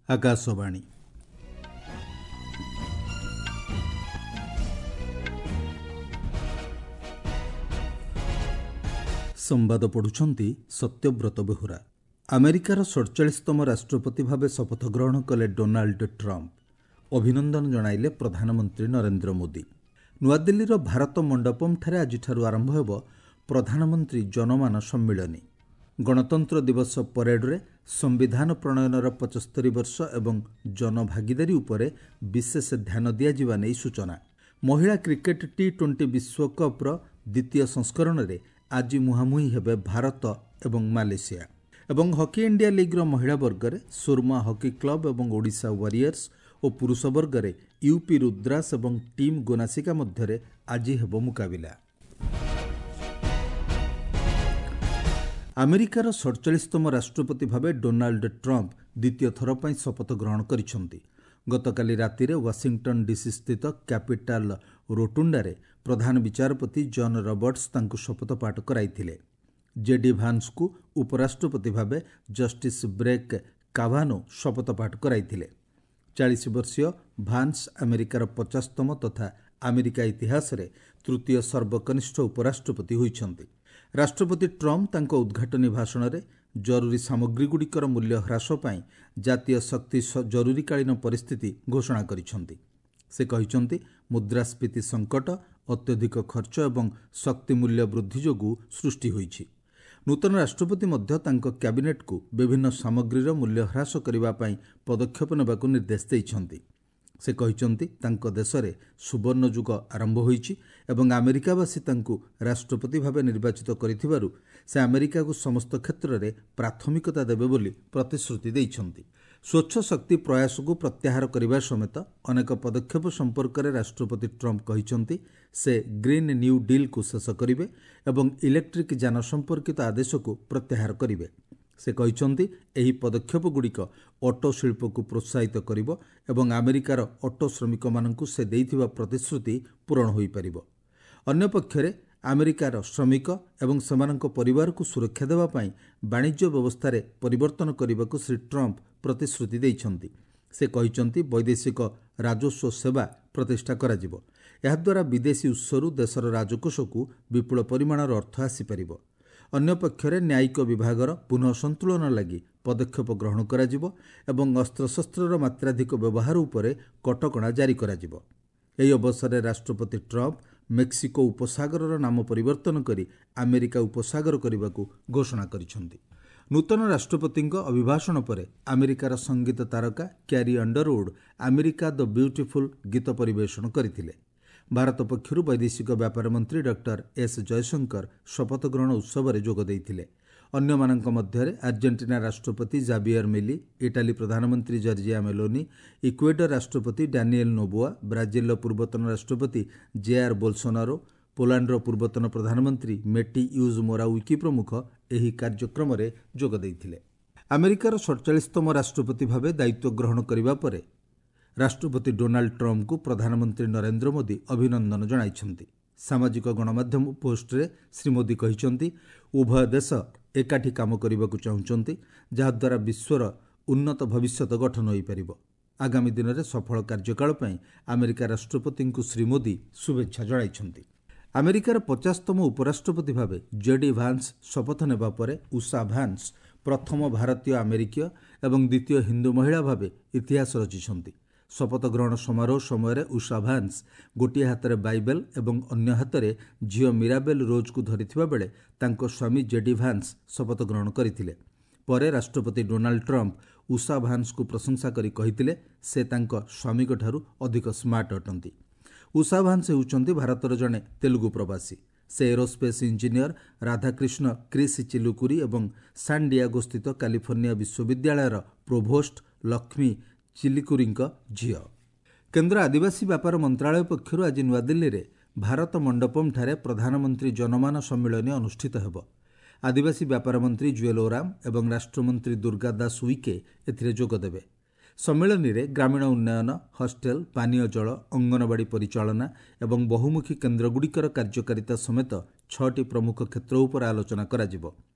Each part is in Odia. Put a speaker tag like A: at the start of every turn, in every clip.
A: ଆକାଶବାଣୀ। ସମ୍ବାଦ ପଢ଼ୁଛନ୍ତି ସତ୍ୟବ୍ରତ ବେହୁରା। ଆମେରିକାର 47ତମ ରାଷ୍ଟ୍ରପତି ଭାବେ ଶପଥ ଗ୍ରହଣ କଲେ ଡୋନାଲ୍ଡ ଟ୍ରମ୍ପ। ଅଭିନନ୍ଦନ ଜଣାଇଲେ ପ୍ରଧାନମନ୍ତ୍ରୀ ନରେନ୍ଦ୍ର ମୋଦି। ନୂଆଦିଲ୍ଲୀର ଭାରତ ମଣ୍ଡପମ୍ଠାରେ ଆଜିଠାରୁ ଆରମ୍ଭ ହେବ ପ୍ରଧାନମନ୍ତ୍ରୀ ଜନମାନ ସମ୍ମିଳନୀ। ଗଣତନ୍ତ୍ର ଦିବସ ପରେଡରେ ସମ୍ବିଧାନ ପ୍ରଣୟନର 75 ବର୍ଷ ଏବଂ ଜନଭାଗିଦାରୀ ଉପରେ ବିଶେଷ ଧ୍ୟାନ ଦିଆଯିବା ନେଇ ସୂଚନା। ମହିଳା କ୍ରିକେଟ୍ ଟି-20 ବିଶ୍ୱକପ୍ର ଦ୍ୱିତୀୟ ସଂସ୍କରଣରେ ଆଜି ମୁହାଁମୁହିଁ ହେବେ ଭାରତ ଏବଂ ମାଲେସିଆ। ଏବଂ ହକି ଇଣ୍ଡିଆ ଲିଗ୍ର ମହିଳା ବର୍ଗରେ ସୁରମା ହକି କ୍ଲବ ଏବଂ ଓଡ଼ିଶା ୱାରିୟର୍ସ ଓ ପୁରୁଷ ବର୍ଗରେ ୟୁପି ରୁଦ୍ରାସ ଏବଂ ଟିମ୍ ଗୋନାସିକା ମଧ୍ୟରେ ଆଜି ହେବ ମୁକାବିଲା। ଆମେରିକାର 47ତମ ରାଷ୍ଟ୍ରପତି ଭାବେ ଡୋନାଲ୍ଡ ଟ୍ରମ୍ପ ଦ୍ୱିତୀୟ ଥର ପାଇଁ ଶପଥ ଗ୍ରହଣ କରିଛନ୍ତି। ଗତକାଲି ରାତିରେ ୱାଶିଂଟନ୍ ଡିସି ସ୍ଥିତ କ୍ୟାପିଟାଲ ରୋଟୁଣ୍ଡାରେ ପ୍ରଧାନ ବିଚାରପତି ଜନ୍ ରବର୍ଟସ୍ ତାଙ୍କୁ ଶପଥ ପାଠ କରାଇଥିଲେ। ଜେଡି ଭାନ୍ସଙ୍କୁ ଉପରାଷ୍ଟ୍ରପତି ଭାବେ ଜଷ୍ଟିସ୍ ବ୍ରେକ୍ କାଭାନୋ ଶପଥ ପାଠ କରାଇଥିଲେ। 40 ବର୍ଷୀୟ ଭାନ୍ସ ଆମେରିକାର 50ତମ ତଥା ଆମେରିକା ଇତିହାସରେ ତୃତୀୟ ସର୍ବକନିଷ୍ଠ ଉପରାଷ୍ଟ୍ରପତି ହୋଇଛନ୍ତି। ରାଷ୍ଟ୍ରପତି ଟ୍ରମ୍ପ ତାଙ୍କ ଉଦ୍ଘାଟନୀ ଭାଷଣରେ ଜରୁରୀ ସାମଗ୍ରୀଗୁଡ଼ିକର ମୂଲ୍ୟ ହ୍ରାସ ପାଇଁ ଜାତୀୟ ଶକ୍ତି ଜରୁରୀକାଳୀନ ପରିସ୍ଥିତି ଘୋଷଣା କରିଛନ୍ତି। ସେ କହିଛନ୍ତି, ମୁଦ୍ରାସ୍ଫୀତି ସଙ୍କଟ ଅତ୍ୟଧିକ ଖର୍ଚ୍ଚ ଏବଂ ଶକ୍ତି ମୂଲ୍ୟ ବୃଦ୍ଧି ଯୋଗୁଁ ସୃଷ୍ଟି ହୋଇଛି। ନୂତନ ରାଷ୍ଟ୍ରପତି ମଧ୍ୟ ତାଙ୍କ କ୍ୟାବିନେଟ୍କୁ ବିଭିନ୍ନ ସାମଗ୍ରୀର ମୂଲ୍ୟ ହ୍ରାସ କରିବା ପାଇଁ ପଦକ୍ଷେପ ନେବାକୁ ନିର୍ଦ୍ଦେଶ ଦେଇଛନ୍ତି। ସେ କହିଛନ୍ତି, ତାଙ୍କ ଦେଶରେ ସୁବର୍ଣ୍ଣ ଯୁଗ ଆରମ୍ଭ ହୋଇଛି ଏବଂ ଆମେରିକାବାସୀ ତାଙ୍କୁ ରାଷ୍ଟ୍ରପତି ଭାବେ ନିର୍ବାଚିତ କରିଥିବାରୁ ସେ ଆମେରିକାକୁ ସମସ୍ତ କ୍ଷେତ୍ରରେ ପ୍ରାଥମିକତା ଦେବେ ବୋଲି ପ୍ରତିଶ୍ରୁତି ଦେଇଛନ୍ତି। ସ୍ୱଚ୍ଛ ଶକ୍ତି ପ୍ରୟାସକୁ ପ୍ରତ୍ୟାହାର କରିବା ସମେତ ଅନେକ ପଦକ୍ଷେପ ସମ୍ପର୍କରେ ରାଷ୍ଟ୍ରପତି ଟ୍ରମ୍ପ କହିଛନ୍ତି, ସେ ଗ୍ରୀନ୍ ନ୍ୟୁ ଡିଲ୍କୁ ଶେଷ କରିବେ ଏବଂ ଇଲେକ୍ଟ୍ରିକ୍ ଯାନ ସମ୍ପର୍କିତ ଆଦେଶକୁ ପ୍ରତ୍ୟାହାର କରିବେ। ସେ କହିଛନ୍ତି, ଏହି ପଦକ୍ଷେପଗୁଡ଼ିକ ଅଟୋ ଶିଳ୍ପକୁ ପ୍ରୋତ୍ସାହିତ କରିବ ଏବଂ ଆମେରିକାର ଅଟୋ ଶ୍ରମିକମାନଙ୍କୁ ସେ ଦେଇଥିବା ପ୍ରତିଶ୍ରୁତି ପୂରଣ ହୋଇପାରିବ। ଅନ୍ୟପକ୍ଷରେ ଆମେରିକାର ଶ୍ରମିକ ଏବଂ ସେମାନଙ୍କ ପରିବାରକୁ ସୁରକ୍ଷା ଦେବା ପାଇଁ ବାଣିଜ୍ୟ ବ୍ୟବସ୍ଥାରେ ପରିବର୍ତ୍ତନ କରିବାକୁ ଶ୍ରୀ ଟ୍ରମ୍ପ ପ୍ରତିଶ୍ରୁତି ଦେଇଛନ୍ତି। ସେ କହିଛନ୍ତି, ବୈଦେଶିକ ରାଜସ୍ୱ ସେବା ପ୍ରତିଷ୍ଠା କରାଯିବ। ଏହାଦ୍ୱାରା ବିଦେଶୀ ଉତ୍ସରୁ ଦେଶର ରାଜକୋଷକୁ ବିପୁଳ ପରିମାଣର ଅର୍ଥ ଆସିପାରିବ। ଅନ୍ୟପକ୍ଷରେ ନ୍ୟାୟିକ ବିଭାଗର ପୁନଃ ସନ୍ତୁଳନ ଲାଗି ପଦକ୍ଷେପ ଗ୍ରହଣ କରାଯିବ ଏବଂ ଅସ୍ତ୍ରଶସ୍ତ୍ରର ମାତ୍ରାଧିକ ବ୍ୟବହାର ଉପରେ କଟକଣା ଜାରି କରାଯିବ। ଏହି ଅବସରରେ ରାଷ୍ଟ୍ରପତି ଟ୍ରମ୍ପ ମେକ୍ସିକୋ ଉପସାଗରର ନାମ ପରିବର୍ତ୍ତନ କରି ଆମେରିକା ଉପସାଗର କରିବାକୁ ଘୋଷଣା କରିଛନ୍ତି। ନୂତନ ରାଷ୍ଟ୍ରପତିଙ୍କ ଅଭିଭାଷଣ ପରେ ଆମେରିକାର ସଙ୍ଗୀତ ତାରକା Carrie Underwood America the Beautiful ଗୀତ ପରିବେଷଣ କରିଥିଲେ। ଭାରତ ପକ୍ଷରୁ ବୈଦେଶିକ ବ୍ୟାପାର ମନ୍ତ୍ରୀ ଡକ୍ଟର ଏସ୍ ଜୟଶଙ୍କର ଶପଥ ଗ୍ରହଣ ଉତ୍ସବରେ ଯୋଗ ଦେଇଥିଲେ। ଅନ୍ୟମାନଙ୍କ ମଧ୍ୟରେ ଆର୍ଜେଣ୍ଟିନା ରାଷ୍ଟ୍ରପତି ଜାଭିୟର ମିଲି, ଇଟାଲୀ ପ୍ରଧାନମନ୍ତ୍ରୀ ଜର୍ଜିଆ ମେଲୋନି, ଇକ୍ୱେଡର ରାଷ୍ଟ୍ରପତି ଡାନିଏଲ ନୋବୋଆ, ବ୍ରାଜିଲର ପୂର୍ବତନ ରାଷ୍ଟ୍ରପତି ଜେଆର୍ ବୋଲସୋନାରୋ, ପୋଲାଣ୍ଡର ପୂର୍ବତନ ପ୍ରଧାନମନ୍ତ୍ରୀ ମେଟି ୟୁଜ୍ ମୋରାୱିକି ପ୍ରମୁଖ ଏହି କାର୍ଯ୍ୟକ୍ରମରେ ଯୋଗ ଦେଇଥିଲେ। ଆମେରିକାର 47ତମ ରାଷ୍ଟ୍ରପତି ଭାବେ ଦାୟିତ୍ୱ ଗ୍ରହଣ କରିବା ପରେ ରାଷ୍ଟ୍ରପତି ଡୋନାଲ୍ଡ ଟ୍ରମ୍ପଙ୍କୁ ପ୍ରଧାନମନ୍ତ୍ରୀ ନରେନ୍ଦ୍ର ମୋଦି ଅଭିନନ୍ଦନ ଜଣାଇଛନ୍ତି। ସାମାଜିକ ଗଣମାଧ୍ୟମ ପୋଷ୍ଟରେ ଶ୍ରୀ ମୋଦି କହିଛନ୍ତି, ଉଭୟ ଦେଶ ଏକାଠି କାମ କରିବାକୁ ଚାହୁଁଛନ୍ତି, ଯାହାଦ୍ୱାରା ବିଶ୍ୱର ଉନ୍ନତ ଭବିଷ୍ୟତ ଗଠନ ହୋଇପାରିବ। ଆଗାମୀ ଦିନରେ ସଫଳ କାର୍ଯ୍ୟକାଳ ପାଇଁ ଆମେରିକା ରାଷ୍ଟ୍ରପତିଙ୍କୁ ଶ୍ରୀ ମୋଦି ଶୁଭେଚ୍ଛା ଜଣାଇଛନ୍ତି। ଆମେରିକାର 50ତମ ଉପରାଷ୍ଟ୍ରପତି ଭାବେ ଜେଡି ଭାନ୍ସ ଶପଥ ନେବା ପରେ ଉଷା ଭାନ୍ସ ପ୍ରଥମ ଭାରତୀୟ ଆମେରିକୀୟ ଏବଂ ଦ୍ୱିତୀୟ ହିନ୍ଦୁ ମହିଳା ଭାବେ ଇତିହାସ ରଚିଛନ୍ତି। ଶପଥ ଗ୍ରହଣ ସମାରୋହ ସମୟରେ ଉଷା ଭାନ୍ସ ଗୋଟିଏ ହାତରେ ବାଇବେଲ ଏବଂ ଅନ୍ୟ ହାତରେ ଝିଅ ମିରାବେଲ ରୋଜ୍କୁ ଧରିଥିବା ବେଳେ ତାଙ୍କ ସ୍ୱାମୀ ଜେଡି ଭାନ୍ସ ଶପଥ ଗ୍ରହଣ କରିଥିଲେ। ପରେ ରାଷ୍ଟ୍ରପତି ଡୋନାଲ୍ଡ ଟ୍ରମ୍ପ ଉଷା ଭାନ୍ସଙ୍କୁ ପ୍ରଶଂସା କରି କହିଥିଲେ, ସେ ତାଙ୍କ ସ୍ୱାମୀଙ୍କଠାରୁ ଅଧିକ ସ୍ମାର୍ଟ ଅଟନ୍ତି। ଉଷା ଭାନ୍ସ ହେଉଛନ୍ତି ଭାରତର ଜଣେ ତେଲୁଗୁ ପ୍ରବାସୀ। ସେ ଏରୋସ୍ପେସ୍ ଇଞ୍ଜିନିୟର ରାଧାକ୍ରିଷ୍ଣ କ୍ରିସ୍ ଚିଲୁକୁରି ଏବଂ ସାନ୍ ଡିଆଗୋ ସ୍ଥିତ କାଲିଫର୍ଣ୍ଣିଆ ବିଶ୍ୱବିଦ୍ୟାଳୟର ପ୍ରୋଭୋଷ୍ଟ ଲକ୍ଷ୍ମୀ ଚିଲିକୁରିଙ୍କ ଝିଅ। କେନ୍ଦ୍ର ଆଦିବାସୀ ବ୍ୟାପାର ମନ୍ତ୍ରାଳୟ ପକ୍ଷରୁ ଆଜି ନୂଆଦିଲ୍ଲୀରେ ଭାରତ ମଣ୍ଡପମ୍ଠାରେ ପ୍ରଧାନମନ୍ତ୍ରୀ ଜନମାନ ସମ୍ମିଳନୀ ଅନୁଷ୍ଠିତ ହେବ। ଆଦିବାସୀ ବ୍ୟାପାର ମନ୍ତ୍ରୀ ଜୁଏଲ ଓରାମ ଏବଂ ରାଷ୍ଟ୍ରମନ୍ତ୍ରୀ ଦୁର୍ଗା ଦାସ ଉଇକେ ଏଥିରେ ଯୋଗଦେବେ। ସମ୍ମିଳନୀରେ ଗ୍ରାମୀଣ ଉନ୍ନୟନ, ହଷ୍ଟେଲ, ପାନୀୟ ଜଳ, ଅଙ୍ଗନବାଡ଼ି ପରିଚାଳନା ଏବଂ ବହୁମୁଖୀ କେନ୍ଦ୍ରଗୁଡ଼ିକର କାର୍ଯ୍ୟକାରିତା ସମେତ 6ଟି ପ୍ରମୁଖ କ୍ଷେତ୍ର ଉପରେ ଆଲୋଚନା କରାଯିବ।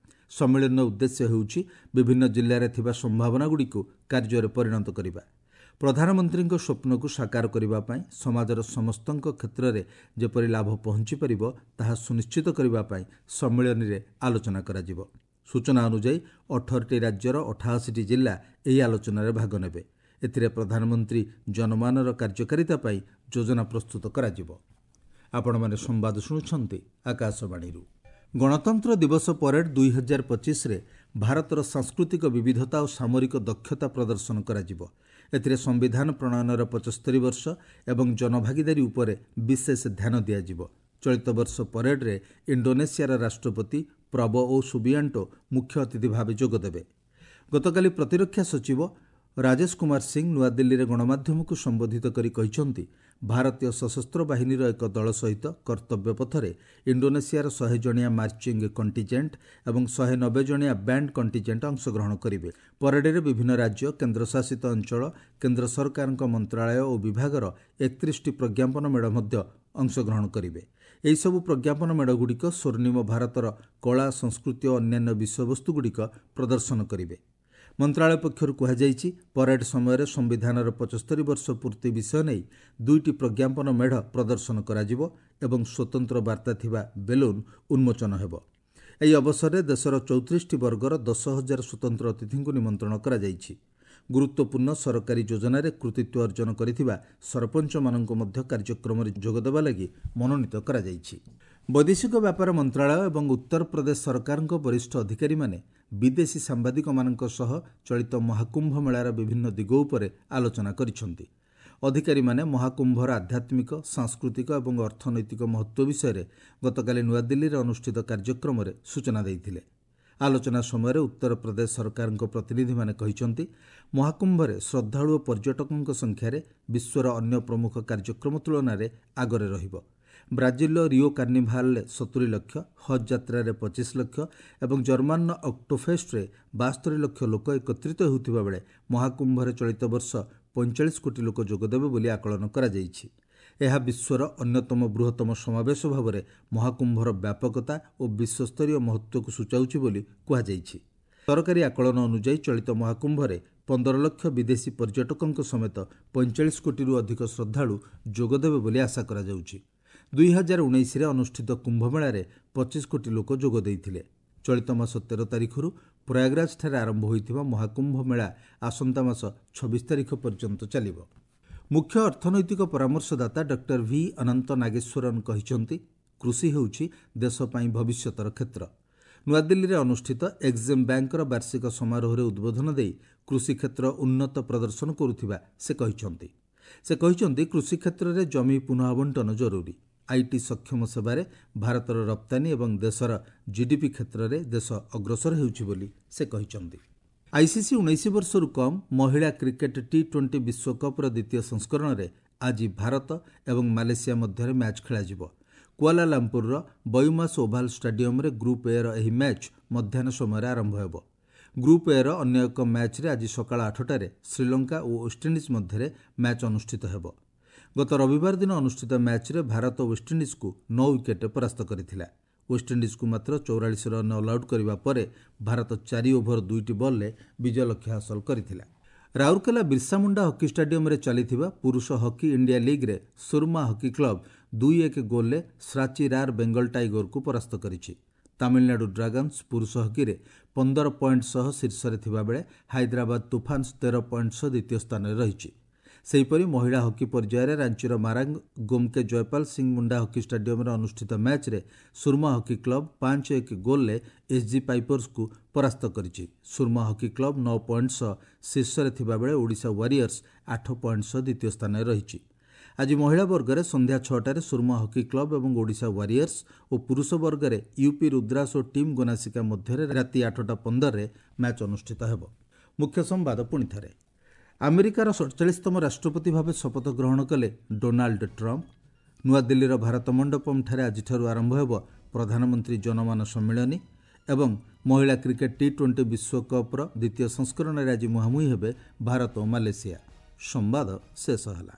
A: ସମ୍ମିଳନୀର ଉଦ୍ଦେଶ୍ୟ ହେଉଛି ବିଭିନ୍ନ ଜିଲ୍ଲାରେ ଥିବା ସମ୍ଭାବନାଗୁଡ଼ିକୁ କାର୍ଯ୍ୟରେ ପରିଣତ କରିବା। ପ୍ରଧାନମନ୍ତ୍ରୀଙ୍କ ସ୍ୱପ୍ନକୁ ସାକାର କରିବା ପାଇଁ ସମାଜର ସମସ୍ତଙ୍କ କ୍ଷେତ୍ରରେ ଯେପରି ଲାଭ ପହଞ୍ଚିପାରିବ ତାହା ସୁନିଶ୍ଚିତ କରିବା ପାଇଁ ସମ୍ମିଳନୀରେ ଆଲୋଚନା କରାଯିବ। ସୂଚନା ଅନୁଯାୟୀ 18ଟି ରାଜ୍ୟର 88ଟି ଜିଲ୍ଲା ଏହି ଆଲୋଚନାରେ ଭାଗ ନେବେ। ଏଥିରେ ପ୍ରଧାନମନ୍ତ୍ରୀ ଜନମାନର କାର୍ଯ୍ୟକାରିତା ପାଇଁ ଯୋଜନା ପ୍ରସ୍ତୁତ କରାଯିବ। ଆପଣମାନେ ସମ୍ବାଦ ଶୁଣୁଛନ୍ତି ଆକାଶବାଣୀରୁ। ଗଣତନ୍ତ୍ର ଦିବସ ପରେଡ୍ 2025ରେ ଭାରତର ସାଂସ୍କୃତିକ ବିବିଧତା ଓ ସାମରିକ ଦକ୍ଷତା ପ୍ରଦର୍ଶନ କରାଯିବ। ଏଥିରେ ସମ୍ବିଧାନ ପ୍ରଣୟନର 75 ବର୍ଷ ଏବଂ ଜନଭାଗିଦାରୀ ଉପରେ ବିଶେଷ ଧ୍ୟାନ ଦିଆଯିବ। ଚଳିତ ବର୍ଷ ପରେଡ୍ରେ ଇଣ୍ଡୋନେସିଆର ରାଷ୍ଟ୍ରପତି ପ୍ରବୋଓ ସୁବିଆଣ୍ଟୋ ମୁଖ୍ୟ ଅତିଥି ଭାବେ ଯୋଗଦେବେ। ଗତକାଲି ପ୍ରତିରକ୍ଷା ସଚିବ ରାଜେଶ କୁମାର ସିଂ ନୂଆଦିଲ୍ଲୀରେ ଗଣମାଧ୍ୟମକୁ ସମ୍ବୋଧିତ କରି କହିଛନ୍ତି, ଭାରତୀୟ ସଶସ୍ତ୍ର ବାହିନୀର ଏକ ଦଳ ସହିତ କର୍ତ୍ତବ୍ୟ ପଥରେ ଇଣ୍ଡୋନେସିଆର 100 ଜଣିଆ ମାର୍ଚିଂ କଣ୍ଟିଜେଣ୍ଟ ଏବଂ 190 ଜଣିଆ ବ୍ୟାଣ୍ଡ କଣ୍ଟିଜେଣ୍ଟ ଅଂଶଗ୍ରହଣ କରିବେ। ପରେଡରେ ବିଭିନ୍ନ ରାଜ୍ୟ, କେନ୍ଦ୍ରଶାସିତ ଅଞ୍ଚଳ, କେନ୍ଦ୍ର ସରକାରଙ୍କ ମନ୍ତ୍ରାଳୟ ଓ ବିଭାଗର 31ଟି ପ୍ରଜ୍ଞାପନ ମେଢ଼ ମଧ୍ୟ ଅଂଶଗ୍ରହଣ କରିବେ। ଏହିସବୁ ପ୍ରଜ୍ଞାପନ ମେଢ଼ଗୁଡ଼ିକ ସ୍ୱର୍ଣ୍ଣିମ ଭାରତର କଳା, ସଂସ୍କୃତି ଓ ଅନ୍ୟାନ୍ୟ ବିଷୟବସ୍ତୁଗୁଡ଼ିକ ପ୍ରଦର୍ଶନ କରିବେ। ମନ୍ତ୍ରାଳୟ ପକ୍ଷରୁ କୁହାଯାଇଛି, ପରେଡ୍ ସମୟରେ ସମ୍ବିଧାନର 75 ବର୍ଷ ପୂର୍ତ୍ତି ବିଷୟ ନେଇ 2ଟି ପ୍ରଜ୍ଞାପନ ମେଢ଼ ପ୍ରଦର୍ଶନ କରାଯିବ ଏବଂ ସ୍ୱତନ୍ତ୍ର ବାର୍ତ୍ତା ଥିବା ବେଲୁନ୍ ଉନ୍ମୋଚନ ହେବ। ଏହି ଅବସରରେ ଦେଶର 34ଟି ବର୍ଗର 10,000 ସ୍ୱତନ୍ତ୍ର ଅତିଥିଙ୍କୁ ନିମନ୍ତ୍ରଣ କରାଯାଇଛି। ଗୁରୁତ୍ୱପୂର୍ଣ୍ଣ ସରକାରୀ ଯୋଜନାରେ କୃତିତ୍ୱ ଅର୍ଜନ କରିଥିବା ସରପଞ୍ଚମାନଙ୍କୁ ମଧ୍ୟ କାର୍ଯ୍ୟକ୍ରମରେ ଯୋଗଦେବା ଲାଗି ମନୋନୀତ କରାଯାଇଛି। ବୈଦେଶିକ ବ୍ୟାପାର ମନ୍ତ୍ରାଳୟ ଏବଂ ଉତ୍ତରପ୍ରଦେଶ ସରକାରଙ୍କ ବରିଷ୍ଠ ଅଧିକାରୀମାନେ ବିଦେଶୀ ସାମ୍ବାଦିକମାନଙ୍କ ସହ ଚଳିତ ମହାକୁମ୍ଭ ମେଳାର ବିଭିନ୍ନ ଦିଗ ଉପରେ ଆଲୋଚନା କରିଛନ୍ତି। ଅଧିକାରୀମାନେ ମହାକୁମ୍ଭର ଆଧ୍ୟାତ୍ମିକ, ସାଂସ୍କୃତିକ ଏବଂ ଅର୍ଥନୈତିକ ମହତ୍ତ୍ୱ ବିଷୟରେ ଗତକାଲି ନୂଆଦିଲ୍ଲୀରେ ଅନୁଷ୍ଠିତ କାର୍ଯ୍ୟକ୍ରମରେ ସୂଚନା ଦେଇଥିଲେ। ଆଲୋଚନା ସମୟରେ ଉତ୍ତରପ୍ରଦେଶ ସରକାରଙ୍କ ପ୍ରତିନିଧିମାନେ କହିଛନ୍ତି, ମହାକୁମ୍ଭରେ ଶ୍ରଦ୍ଧାଳୁ ଓ ପର୍ଯ୍ୟଟକଙ୍କ ସଂଖ୍ୟାରେ ବିଶ୍ୱର ଅନ୍ୟ ପ୍ରମୁଖ କାର୍ଯ୍ୟକ୍ରମ ତୁଳନାରେ ଆଗରେ ରହିବ। ବ୍ରାଜିଲର ରିଓ କାର୍ନିଭାଲରେ 70 ଲକ୍ଷ, ହଜ୍ ଯାତ୍ରାରେ 25 ଲକ୍ଷ ଏବଂ ଜର୍ମାନର ଅକ୍ଟୋଫେଷ୍ଟରେ 72 ଲକ୍ଷ ଲୋକ ଏକତ୍ରିତ ହେଉଥିବା ବେଳେ ମହାକୁମ୍ଭରେ ଚଳିତ ବର୍ଷ 45 କୋଟି ଲୋକ ଯୋଗଦେବେ ବୋଲି ଆକଳନ କରାଯାଇଛି। ଏହା ବିଶ୍ୱର ଅନ୍ୟତମ ବୃହତ୍ତମ ସମାବେଶ ଭାବରେ ମହାକୁମ୍ଭର ବ୍ୟାପକତା ଓ ବିଶ୍ୱସ୍ତରୀୟ ମହତ୍ତ୍ୱକୁ ସୂଚାଉଛି ବୋଲି କୁହାଯାଇଛି। ସରକାରୀ ଆକଳନ ଅନୁଯାୟୀ ଚଳିତ ମହାକୁମ୍ଭରେ 15 ଲକ୍ଷ ବିଦେଶୀ ପର୍ଯ୍ୟଟକଙ୍କ ସମେତ 45 କୋଟିରୁ ଅଧିକ ଶ୍ରଦ୍ଧାଳୁ ଯୋଗଦେବେ ବୋଲି ଆଶା କରାଯାଉଛି। 2019ରେ ଅନୁଷ୍ଠିତ କୁମ୍ଭମେଳାରେ 25 କୋଟି ଲୋକ ଯୋଗ ଦେଇଥିଲେ। ଚଳିତ ମାସ 13 ତାରିଖରୁ ପ୍ରୟାଗରାଜଠାରେ ଆରମ୍ଭ ହୋଇଥିବା ମହାକୁମ୍ଭ ମେଳା ଆସନ୍ତା ମାସ 26 ତାରିଖ ପର୍ଯ୍ୟନ୍ତ ଚାଲିବ। ମୁଖ୍ୟ ଅର୍ଥନୈତିକ ପରାମର୍ଶଦାତା ଡକ୍ଟର ଭି ଅନନ୍ତ ନାଗେଶ୍ୱରନ୍ କହିଛନ୍ତି, କୃଷି ହେଉଛି ଦେଶ ପାଇଁ ଭବିଷ୍ୟତର କ୍ଷେତ୍ର। ନୂଆଦିଲ୍ଲୀରେ ଅନୁଷ୍ଠିତ ଏକ୍ଜିମ୍ ବ୍ୟାଙ୍କର ବାର୍ଷିକ ସମାରୋହରେ ଉଦ୍ବୋଧନ ଦେଇ କୃଷି କ୍ଷେତ୍ର ଉନ୍ନତ ପ୍ରଦର୍ଶନ କରୁଥିବା ସେ କହିଛନ୍ତି। ସେ କହିଛନ୍ତି, କୃଷି କ୍ଷେତ୍ରରେ ଜମି ପୁନଃଆବଣ୍ଟନ ଜରୁରୀ। IT ସକ୍ଷମ ସେବାରେ ଭାରତର ରପ୍ତାନୀ ଏବଂ ଦେଶର ଜିଡିପି କ୍ଷେତ୍ରରେ ଦେଶ ଅଗ୍ରସର ହେଉଛି ବୋଲି ସେ କହିଛନ୍ତି। ଆଇସିସି 19 ବର୍ଷରୁ କମ୍ ମହିଳା କ୍ରିକେଟ୍ ଟି-20 ବିଶ୍ୱକପ୍ର ଦ୍ୱିତୀୟ ସଂସ୍କରଣରେ ଆଜି ଭାରତ ଏବଂ ମାଲେସିଆ ମଧ୍ୟରେ ମ୍ୟାଚ୍ ଖେଳାଯିବ। କୁଆଲାଲାମ୍ପୁରର ବୟୁମାସ୍ ଓଭାଲ୍ ଷ୍ଟାଡିୟମରେ ଗ୍ରୁପ୍ ଏର ଏହି ମ୍ୟାଚ୍ ମଧ୍ୟାହ୍ନ ସମୟରେ ଆରମ୍ଭ ହେବ। ଗ୍ରୁପ୍ ଏର ଅନ୍ୟ ଏକ ମ୍ୟାଚ୍ରେ ଆଜି ସକାଳ 8ଟାରେ ଶ୍ରୀଲଙ୍କା ଓ ୱେଷ୍ଟଇଣ୍ଡିଜ୍ ମଧ୍ୟରେ ମ୍ୟାଚ୍ ଅନୁଷ୍ଠିତ ହେବ। ଗତ ରବିବାର ଦିନ ଅନୁଷ୍ଠିତ ମ୍ୟାଚ୍ରେ ଭାରତ ୱେଷ୍ଟଇଣ୍ଡିଜ୍କୁ 9 ୱିକେଟ୍ରେ ପରାସ୍ତ କରିଥିଲା। ୱେଷ୍ଟଇଣ୍ଡିଜ୍କୁ ମାତ୍ର 44 ରନ୍ ଅଲ୍ଆଉଟ୍ କରିବା ପରେ ଭାରତ 4 ଓଭର 2ଟି ବଲ୍ରେ ବିଜୟ ଲକ୍ଷ୍ୟ ହାସଲ କରିଥିଲା। ରାଉରକେଲା ବିର୍ସାମୁଣ୍ଡା ହକି ଷ୍ଟାଡିୟମରେ ଚାଲିଥିବା ପୁରୁଷ ହକି ଇଣ୍ଡିଆ ଲିଗ୍ରେ ସୁରମା ହକି କ୍ଲବ୍ 2-1 ଗୋଲ୍ରେ ଶ୍ରାଚି ରାର୍ ବେଙ୍ଗଲ ଟାଇଗରକୁ ପରାସ୍ତ କରିଛି। ତାମିଲନାଡୁ ଡ୍ରାଗନ୍ସ ପୁରୁଷ ହକିରେ 15 ପଏଣ୍ଟ ସହ ଶୀର୍ଷରେ ଥିବାବେଳେ ହାଇଦ୍ରାବାଦ ତୁଫାନ୍ସ 13 ପଏଣ୍ଟ ସହ ଦ୍ୱିତୀୟ ସ୍ଥାନରେ ରହିଛି। ସେହିପରି ମହିଳା ହକି ପର୍ଯ୍ୟାୟରେ ରାଞ୍ଚିର ମାରାଙ୍ଗ ଗୋମ୍କେ ଜୟପାଲ ସିଂ ମୁଣ୍ଡା ହକି ଷ୍ଟାଡିୟମରେ ଅନୁଷ୍ଠିତ ମ୍ୟାଚ୍ରେ ସୁରମା ହକି କ୍ଲବ୍ 5-1 ଗୋଲ୍ରେ ଏସ୍ଜି ପାଇପର୍ସକୁ ପରାସ୍ତ କରିଛି। ସୁରମା ହକି କ୍ଲବ୍ 9 ପଏଣ୍ଟ ସହ ଶୀର୍ଷରେ ଥିବାବେଳେ ଓଡ଼ିଶା ୱାରିୟର୍ସ 8 ପଏଣ୍ଟ ସହ ଦ୍ୱିତୀୟ ସ୍ଥାନରେ ରହିଛି। ଆଜି ମହିଳା ବର୍ଗରେ ସନ୍ଧ୍ୟା 6ଟାରେ ସୁରମା ହକି କ୍ଲବ୍ ଏବଂ ଓଡ଼ିଶା ୱାରିୟର୍ସ ଓ ପୁରୁଷ ବର୍ଗରେ ୟୁପି ରୁଦ୍ରାସ ଓ ଟିମ୍ ଗୋନାସିକା ମଧ୍ୟରେ ରାତି 8:15ରେ ମ୍ୟାଚ୍ ଅନୁଷ୍ଠିତ ହେବ। ମୁଖ୍ୟ ସମ୍ବାଦ ପୁଣିଥରେ। ଆମେରିକାର 47ତମ ରାଷ୍ଟ୍ରପତି ଭାବେ ଶପଥ ଗ୍ରହଣ କଲେ ଡୋନାଲ୍ଡ ଟ୍ରମ୍ପ। ନୂଆଦିଲ୍ଲୀର ଭାରତ ମଣ୍ଡପମ୍ଠାରେ ଆଜିଠାରୁ ଆରମ୍ଭ ହେବ ପ୍ରଧାନମନ୍ତ୍ରୀ ଜନମାନ ସମ୍ମିଳନୀ ଏବଂ ମହିଳା କ୍ରିକେଟ୍ ଟି-20 ବିଶ୍ୱକପ୍ର ଦ୍ୱିତୀୟ ସଂସ୍କରଣରେ ଆଜି ମୁହାଁମୁହିଁ ହେବେ ଭାରତ ଓ ମାଲେସିଆ। ସମ୍ବାଦ ଶେଷ ହେଲା।